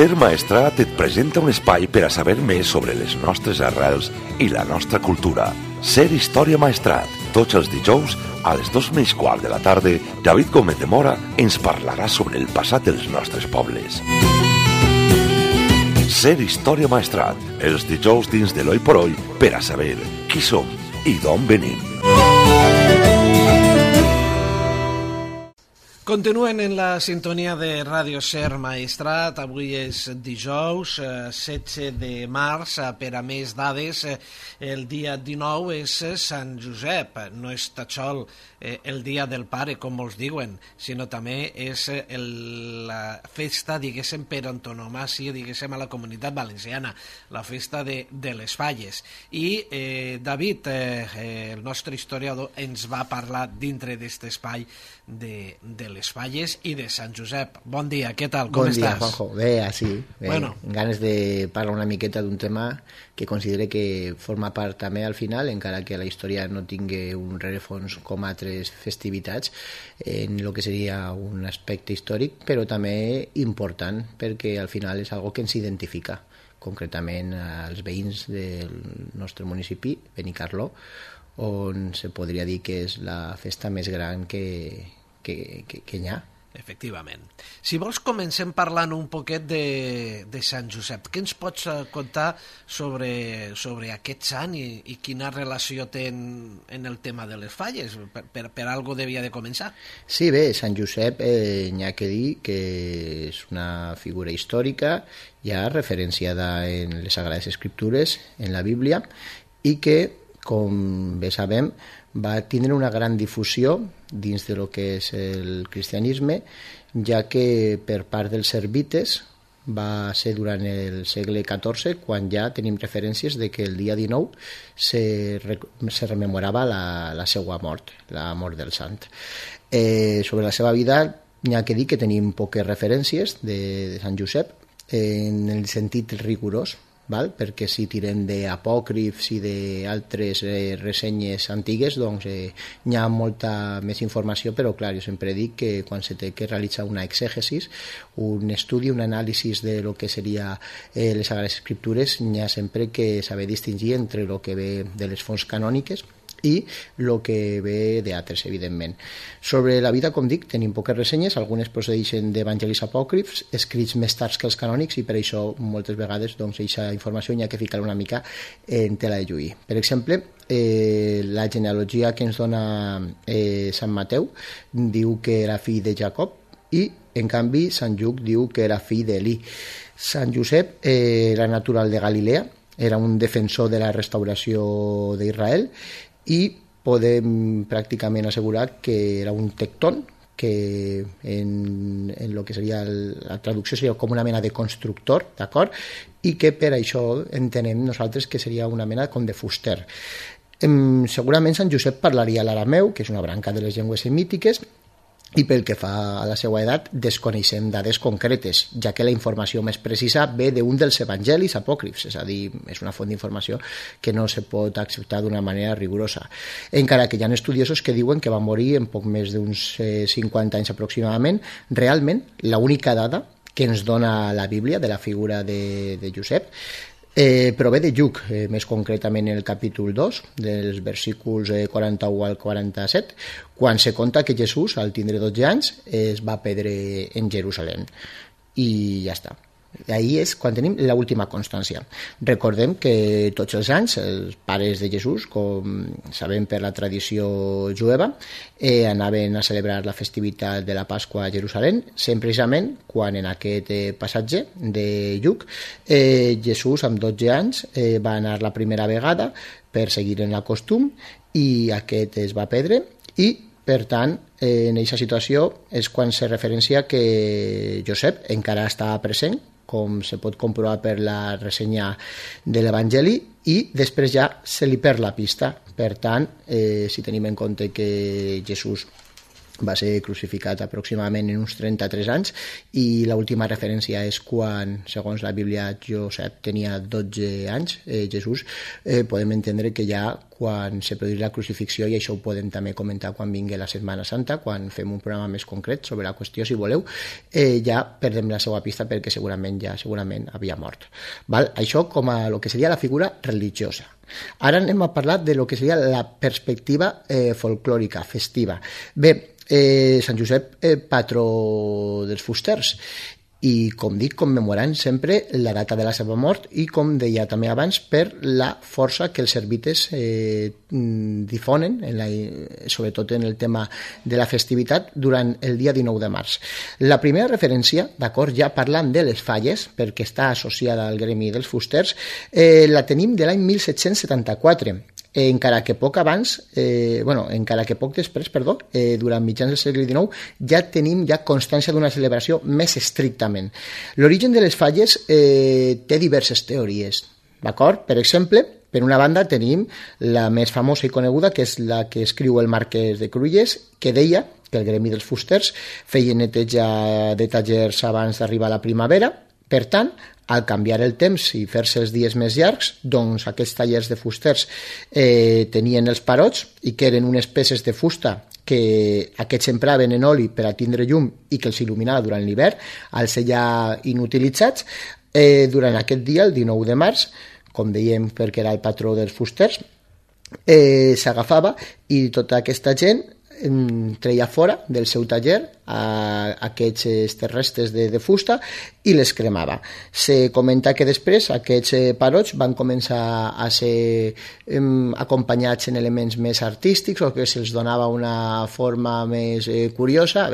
Ser Maestrat et presenta un espai per a saber més sobre les nostres arrels i la nostra cultura. Ser Història Maestrat. Tots els dijous, a les 2:15 de la tarda, David Gómez de Mora ens parlarà sobre el passat dels nostres pobles. Ser Història Maestrat. Els dijous dins de l'Oi por Oi per a saber qui som i d'on venim. Continuen en la sintonia de Ràdio Ser Maestrat. Avui és dijous, 16 de març. Per a més dades, el dia 19 és Sant Josep. No és tatxol el dia del pare, com molts diuen, sinó també és la festa, diguéssim, per antonomàsia, diguéssim, a la Comunitat Valenciana, la festa de les Falles. I David, el nostre historiador, ens va parlar dintre d'aquest espai de les Falles i de Sant Josep. Bon dia, què tal? Com estàs? Bon dia, Juanjo. Bé, així. Bueno. Ganes de parlar una miqueta d'un tema que considere que forma part també al final, encara que la història no tingui un rerefons com altres festivitats, en el que seria un aspecte històric, però també important, perquè al final és algo que ens identifica, concretament als veïns del nostre municipi, Benicarló, on se podria dir que és la festa més gran que hi ha. Efectivament. Si vols, comencem parlant un poquet de Sant Josep. Què ens pots contar sobre aquest sant i quina relació té en el tema de les falles? Per algo devia de començar. Sí, bé, Sant Josep n'hi ha que dir que és una figura històrica ja referenciada en les Sagrades Escriptures, en la Bíblia, i que, com bé sabem, va tindre una gran difusió dins de lo que és el cristianisme, ja que per part dels servites va ser durant el segle XIV quan ja tenim referències de que el dia 19 se rememorava la seva mort, la mort del sant. Sobre la seva vida n'hi ha que dir que tenim poques referències de Sant Josep en el sentit rigorós, perquè si tirem d'apòcrifs i d'altres ressenyes antigues, doncs hi ha molta més informació, però clar, jo sempre dic que quan se té que realitzar una exègesis, un estudi, un anàlisi de lo que seria les Sagrades Escriptures, n'hi ha sempre que saber distingir entre el que ve de les fonts canòniques i el que ve d'altres, evidentment. Sobre la vida, com dic, tenim poques ressenyes, algunes procedeixen d'evangelis apòcrifs, escrits més tard que els canònics, i per això moltes vegades aquesta informació hi ha que ficar una mica en tela de juí. Per exemple, la genealogia que ens dona Sant Mateu diu que era fill de Jacob i, en canvi, Sant Lluc diu que era fill d'Elí. Sant Josep era natural de Galilea, era un defensor de la restauració d'Israel i podem pràcticament assegurar que era un tectón, que en el que seria la traducció seria com una mena de constructor, d'acord? I que per això entenem nosaltres que seria una mena com de fuster. Segurament Sant Josep parlaria l'arameu, que és una branca de les llengües semítiques, i pel que fa a la seva edat desconeixem dades concretes, ja que la informació més precisa ve d'un dels evangelis apòcrifs, és a dir, és una font d'informació que no se pot acceptar d'una manera rigorosa. Encara que hi ha estudiosos que diuen que va morir en poc més d'uns 50 anys aproximadament, realment l'única dada que ens dona la Bíblia de la figura de Josep prové de Lluc, més concretament en el capítol 2, dels versículos 41 al 47, quan se conta que Jesús, al tindre 12 anys, es va perdre en Jerusalem. I ja està. Ahí és quan tenim l'última constància. Recordem que tots els anys els pares de Jesús, com sabem per la tradició jueva, anaven a celebrar la festivitat de la Pasqua a Jerusalem, sempre precisament quan en aquest passatge de Lluc Jesús amb 12 anys va anar la primera vegada per seguir en el costum i aquest es va perdre i per tant, en aquesta situació és quan se referencia que Josep encara estava present, com se pot comprovar per la ressenya de l'Evangeli, i després ja se li perd la pista. Per tant, si tenim en compte que Jesús va ser crucificat aproximadament en uns 33 anys i l'última referència és quan, segons la Bíblia, Josep tenia 12 anys, Jesús. Podem entendre que ja quan se produís la crucifixió, i això ho podem també comentar quan vingui la Setmana Santa, quan fem un programa més concret sobre la qüestió, si voleu, ja perdem la seva pista perquè segurament havia mort. Val? Això com a el que seria la figura religiosa. Ara anem a parlar de lo que seria la perspectiva folclòrica, festiva. Bé, Sant Josep, patró dels fusters, i, com dic, commemorant sempre la data de la seva mort i, com deia també abans, per la força que els servites difonen, sobretot en el tema de la festivitat, durant el dia 19 de març. La primera referència, d'acord, ja parlant de les falles, perquè està associada al gremi dels fusters, la tenim de l'any 1774, encara que poc després, durant mitjans del segle XIX, ja tenim constància d'una celebració més estrictament. L'origen de les falles té diverses teories, d'acord? Per exemple, per una banda tenim la més famosa i coneguda, que és la que escriu el Marquès de Cruïlles, que deia que el gremi dels fusters feia neteja de tallers abans d'arribar a la primavera. Per tant, al canviar el temps i fer-se els dies més llargs, doncs aquests tallers de fusters tenien els parots, i que eren unes peces de fusta que aquests empraven en oli per a tindre llum i que els il·luminava durant l'hivern, al ser ja inutilitzats. Durant aquest dia, el 19 de març, com dèiem perquè era el patró dels fusters, s'agafava i tota aquesta gent treia fora del seu taller aquestes restes de fusta i les cremava. Se comenta que després aquests parots van començar a ser acompanyats en elements més artístics, o que se'ls donava una forma més curiosa,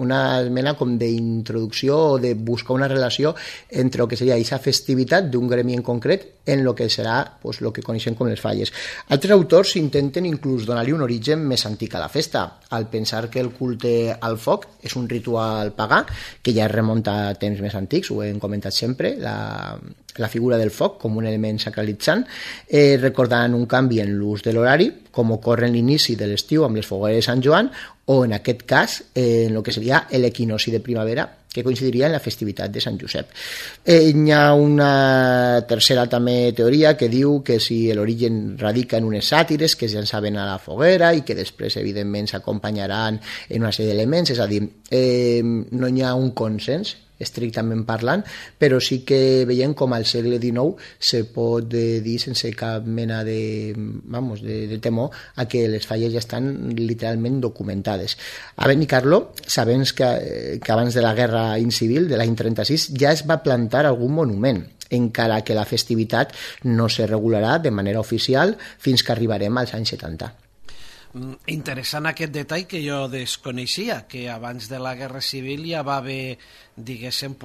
una mena com d'introducció o de buscar una relació entre el que seria aquesta festivitat d'un gremi en concret en el que serà el que coneixem com les falles. Altres autors intenten inclús donar-li un origen més antic a la festa, al pensar que el culte al foc és un ritual pagà que ja es remunta a temps més antics. Ho hem comentat sempre, la figura del foc com un element sacralitzant, recordant un canvi en l'ús de l'horari, com ocorre en l'inici de l'estiu amb les fogueres de Sant Joan, o en aquest cas en el que seria l'equinoci de primavera, que coincidiria en la festivitat de Sant Josep. Hi ha una tercera també teoria que diu que si l'origen radica en unes sàtires que es llançaven a la foguera i que després evidentment s'acompanyaran en una sèrie d'elements, és a dir, no hi ha un consens estrictament parlant, però sí que veiem com al segle XIX se pot dir sense cap mena de temor a que les falles ja estan literalment documentades. A Benicarló sabem que abans de la Guerra Civil de l'any 36 ja es va plantar algun monument, encara que la festivitat no se regularà de manera oficial fins que arribarem als anys 70. Interessant aquest detall que jo desconeixia, que abans de la Guerra Civil ja va haver, diguéssim,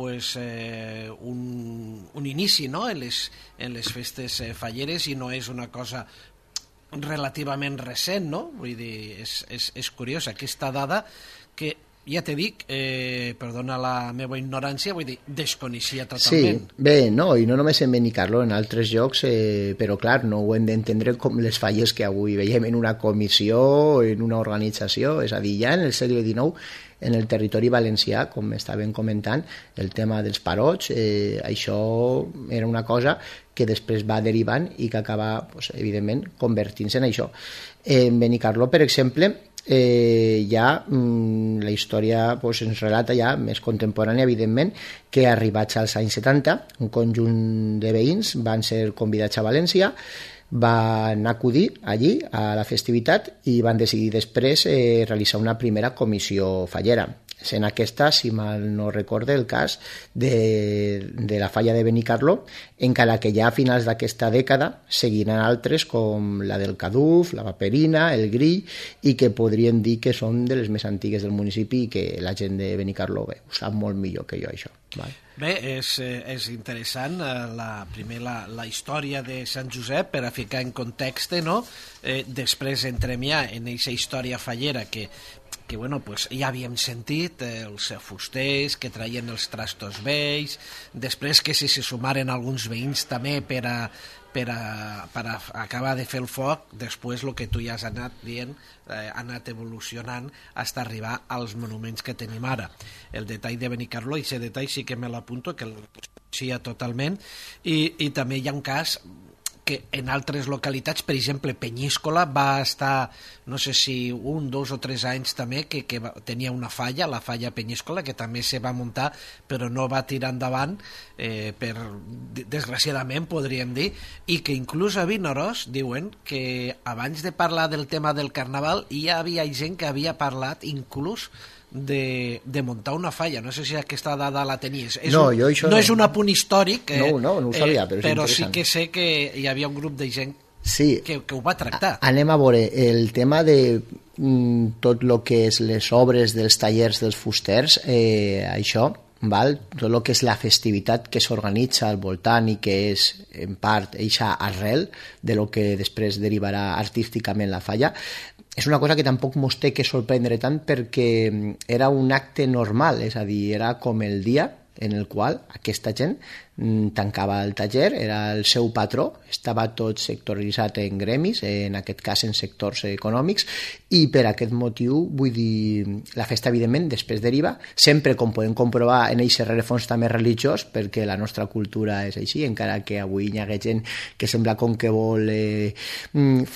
un inici, no?, en les festes falleres, i no és una cosa relativament recent, no? Vull dir, és curiós aquesta dada que, ja t'he dit, perdona la meva ignorància, vull dir, desconeixia totalment. Sí, bé, no, i no només en Benicarló, en altres llocs, però clar, no ho hem d'entendre com les falles que avui veiem en una comissió, en una organització, és a dir, ja en el segle XIX, en el territori valencià, com estàvem comentant, el tema dels parots, això era una cosa que després va derivant i que acaba, evidentment, convertint-se en això. En Benicarló, per exemple, ja la història ens relata ja més contemporània, evidentment, que arribats als anys 70 un conjunt de veïns van ser convidats a València, van acudir allí a la festivitat i van decidir després realitzar una primera comissió fallera. Sent aquesta, si mal no recorde, el cas de la falla de Benicarló, encara que ja a finals d'aquesta dècada seguiran altres com la del Caduf, la Paperina, el Grill, i que podrien dir que són de les més antigues del municipi i que la gent de Benicarló ho sap molt millor que jo, això. Bé, és interessant primer la història de Sant Josep per a ficar en context, no? Després entrem ja en aquesta història fallera que bueno, pues, ja havíem sentit els fusters que traien els trastos vells, després que si se sumaren alguns veïns també per a acabar de fer el foc, després el que tu ja has anat dient ha anat evolucionant fins a arribar als monuments que tenim ara. El detall de Benicarló, i aquest detall sí que me l'apunto, que el coneixia totalment, i també hi ha un cas que en altres localitats, per exemple, Penyíscola va estar, no sé si 1, 2 o 3 anys també, que tenia una falla, la falla Penyíscola, que també se va muntar, però no va tirar endavant, desgraciadament, podríem dir, i que inclús a Vinaròs diuen que abans de parlar del tema del Carnaval hi havia gent que havia parlat inclús de muntar una falla. No sé si aquesta dada la tenies. No és un apunt històric, no ho sabia, però sí que sé que hi havia un grup de gent que ho va tractar. Anem a veure el tema de tot el que és les obres dels tallers dels fusters, això, val? Tot el que és la festivitat que s'organitza al voltant i que és en part eixa arrel de lo que després derivarà artísticament la falla, és una cosa que tampoc mos té que sorprendre tant, perquè era un acte normal, és a dir, era com el dia en el qual aquesta gent tancava el taller, era el seu patró, estava tot sectoritzat en gremis, en aquest cas en sectors econòmics, i per aquest motiu, vull dir, la festa evidentment després deriva, sempre com podem comprovar en aquest rerefons també religiós, perquè la nostra cultura és així, encara que avui hi ha gent que sembla com que vol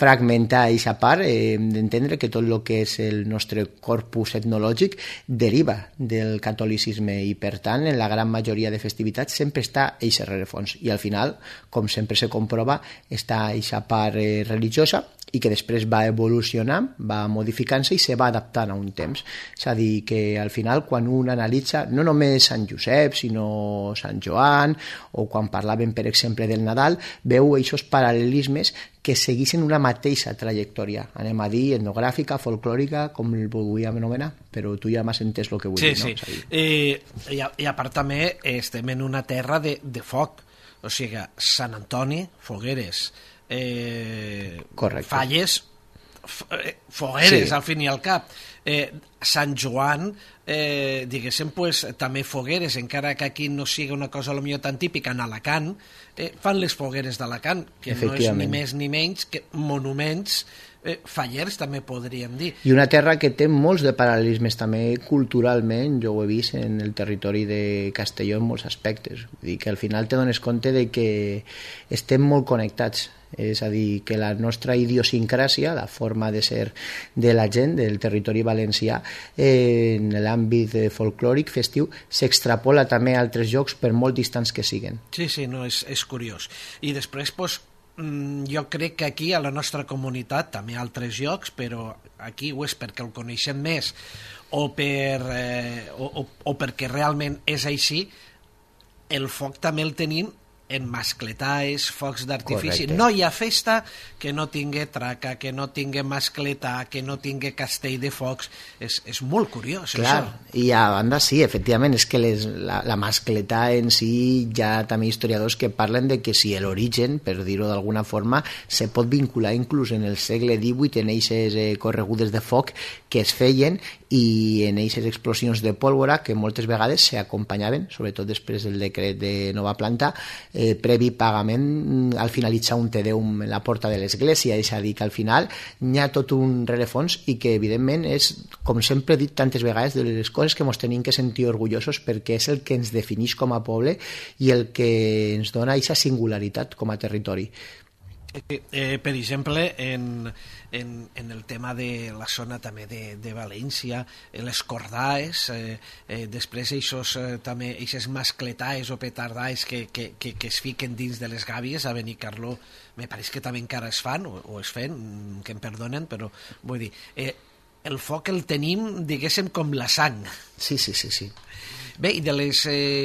fragmentar aquesta part, hem d'entendre que tot el que és el nostre corpus etnològic deriva del catolicisme, i per tant en la gran majoria de festivitats sempre està eixe rerefons, i al final, com sempre se comprova, està eixa part religiosa i que després va evolucionar, va modificant-se i se va adaptant a un temps. És a dir, que al final quan un analitza no només Sant Josep, sinó Sant Joan, o quan parlàvem per exemple del Nadal, veu aquests paral·lelismes que segueixen una mateixa trajectòria, anem a dir, etnogràfica, folclòrica, com el volíem anomenar, però tu ja m'has entès el que vull dir, no? Sí. I a part també estem en una terra de foc, o sigui, Sant Antoni, fogueres, falles, fogueres, sí. Al fin i al cap, Sant Joan, diguéssim, pues, també fogueres, encara que aquí no sigui una cosa potser tan típica, en Alacant fan les fogueres d'Alacant, que no és ni més ni menys que monuments fallers, també podríem dir. I una terra que té molts de paral·lelismes també culturalment, jo ho he vist en el territori de Castelló en molts aspectes. Vull dir que al final te dones compte de que estem molt connectats, és a dir, que la nostra idiosincràsia, la forma de ser de la gent del territori valencià en l'àmbit folclòric festiu s'extrapola també a altres llocs per molt distants que siguen. Sí, no, és curiós. I després, doncs, jo crec que aquí a la nostra comunitat, també a altres llocs, però aquí ho és perquè el coneixem més o perquè realment és així, el foc també el tenim en mascletars, focs d'artifici. No hi ha festa que no tingui traca, que no tingui mascletà, que no tingui castell de focs. És molt curiós, clar, això. I a banda sí, efectivament, és que la mascletà en si hi ha també historiadors que parlen de que si l'origen, per dir-ho d'alguna forma, se pot vincular inclús en el segle XVIII en eixes corregudes de foc que es feien i en eixes explosions de pólvora que moltes vegades s'acompanyaven, sobretot després del decret de nova planta, previ pagament al finalitzar un Te Deum en la porta de l'església, és a dir, que al final hi ha tot un rerefons i que evidentment és, com sempre he dit tantes vegades, de les coses que ens tenim que sentir orgullosos perquè és el que ens defineix com a poble i el que ens dona aquesta singularitat com a territori. Per exemple, en el tema de la zona també de València, les cordaes, després també eixes mascletaes o petardaes que es fiquen dins de les gàbies a Benicarló, me pareix que també encara es fan o es fan, que em perdonen, però vull dir, el foc el tenim, diguéssim, com la sang. Sí. Bé, i de les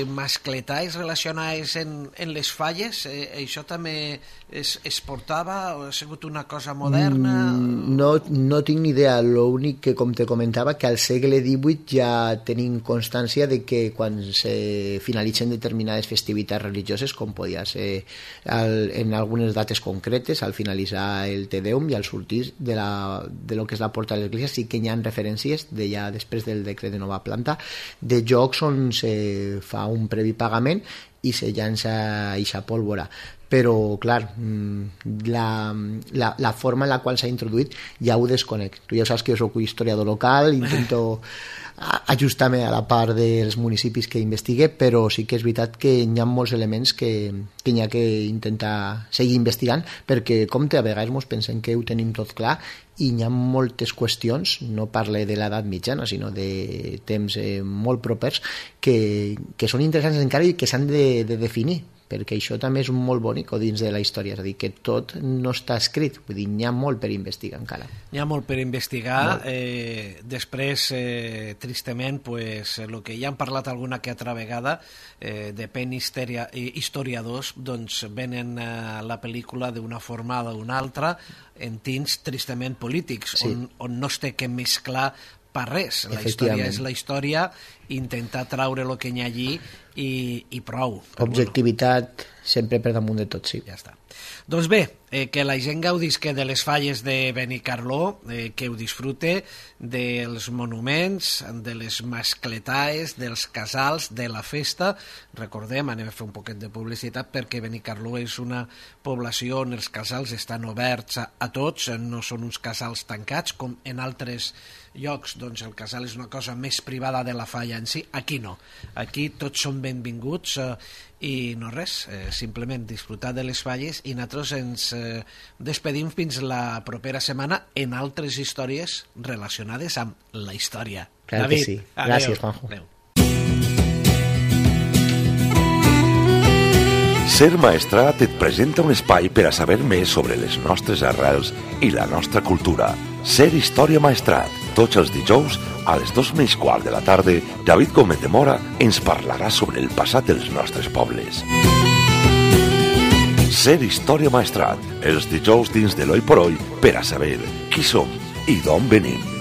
mascletais relacionades en les falles, això també es portava o ha sigut una cosa moderna? No tinc ni idea, l'únic que, com te comentava, que al segle XVIII ja tenim constància de que quan se finalitzen determinades festivitats religioses, com podia ser en algunes dates concretes, al finalitzar el Te Deum i al sortir de lo que és la porta de l'església, sí que hi ha referències de ja després del decret de nova planta de jocs on se fa un previ pagament i se llança eixa pólvora. Però, clar, la forma en la qual s'ha introduït ja ho desconec. Tu ja saps que jo soc historiador local, intento ajustar-me a la part dels municipis que investigue, però sí que és veritat que hi ha molts elements que hi ha que intentar seguir investigant, perquè, com a vegades ens pensem que ho tenim tot clar i hi ha moltes qüestions, no parle de l'edat mitjana, sinó de temps molt propers, que són interessants encara i que s'han de definir, perquè això també és molt bonic dins de la història, és a dir, que tot no està escrit, vull dir, n'hi ha molt per investigar encara. N'hi ha molt per investigar, després, tristament, pues, el que ja han parlat alguna que altra vegada, depèn historiadors, doncs venen a la pel·lícula d'una forma o d'una altra, en tints tristament polítics, sí, on no es té que mesclar per res. La història és la història, intentar traure el que hi ha allí i prou. Objectivitat sempre per damunt de tot, sí. Ja està. Doncs bé, que la gent gaudisca de les falles de Benicarló, que ho disfrute dels monuments, de les mascletaes, dels casals, de la festa. Recordem, anem a fer un poquet de publicitat, perquè Benicarló és una població on els casals estan oberts a tots, no són uns casals tancats, com en altres llocs, doncs el casal és una cosa més privada de la falla en si. Aquí no, aquí tots són benvinguts i no res, simplement disfrutar de les falles, i nosaltres ens despedim fins la propera setmana en altres històries relacionades amb la història. Clar David, que sí. Gràcies, Juanjo. Adéu. Ser Maestrat et presenta un espai per a saber més sobre les nostres arrels i la nostra cultura. Ser Història Maestrat. Tots els dijous, a les 2:15 de la tarda, David Gómez de Mora ens parlarà sobre el passat dels nostres pobles. Ser Història Maestrat. Els dijous dins de l'Oi por Hoy per a saber qui som i d'on venim.